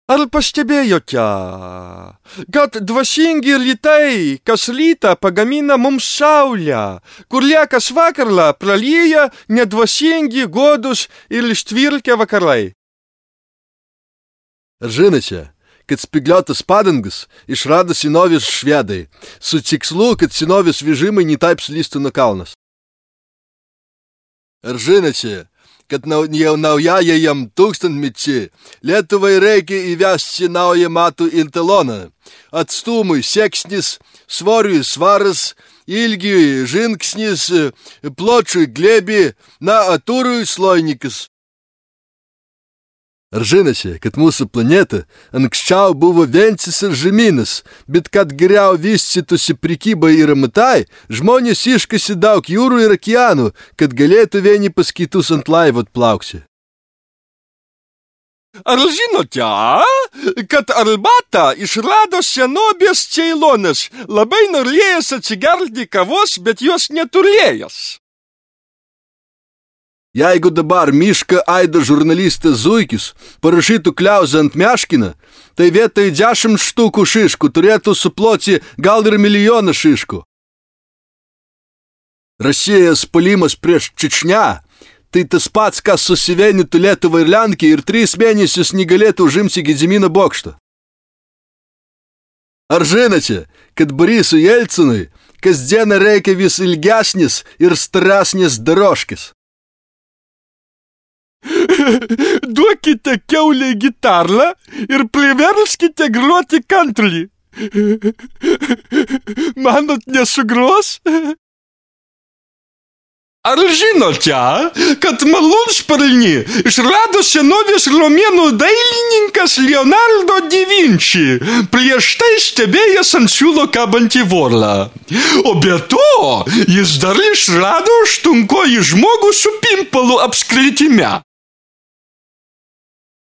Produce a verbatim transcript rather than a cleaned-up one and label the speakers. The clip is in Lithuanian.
Speaker 1: Ar pastebėjote, kad dvasingi rytai kas rytą pagamina mums saulę, kur liekas vakarą pralyja nedvasingi, godus ir ištvirkę vakarai?
Speaker 2: Ar žinote, kad spygliuotas padangas išrado senovės švedai, su tikslu, kad senovės vežimai netaip slystų nuo kalnas? Ar žinote, kad jau naujajam tūkstantmečiui Lietuvai reikia įvesti naują matų iltaloną. Atstumui seksnis, svoriui svaras, ilgiui žingsnis, pločiui glėbį, na, atūrui slojnikas. Ar žinote, kad mūsų planeta anksčiau buvo vientisas žemynas, bet kad geriau vystytųsi prekyba ir amatai, žmonės iškasė daug jūrų ir okeanų, kad galėtų vieni pas kitus ant laivo atplaukti.
Speaker 1: Ar žinote, kad arbatą išrado senovės Ceilonas, labai norėjęs atsigerti kavos, bet jos neturėjęs?
Speaker 2: Jeigu dabar mišką aido žurnalistas Zuikis parašytų kliauzą ant meškiną, tai vietoj dešimt štukų šiškų turėtų suploti gal ir milijoną šiškų. Rusijos puolimas prieš Čečnę tai tas pats, kas susivienytų Lietuvą ir Lenkiją ir tris mėnesius negalėtų užimti Gedimino bokštą. Ar žinote, kad Borisui Jelcinui kasdieną reikia vis ilgesnis ir storesnis doroškis?
Speaker 1: Duokite kiaulei gitarą ir priverskite groti country. Manot, nesugros? Ar žinote, kad malūnsparnį išrado senovės romėnų dailininkas Leonardo da Vinci, prieš tai stebėjęs ant siūlo kabantį vorlą? O be to, jis dar išrado aštunkojį žmogų su pimpalu apskritime.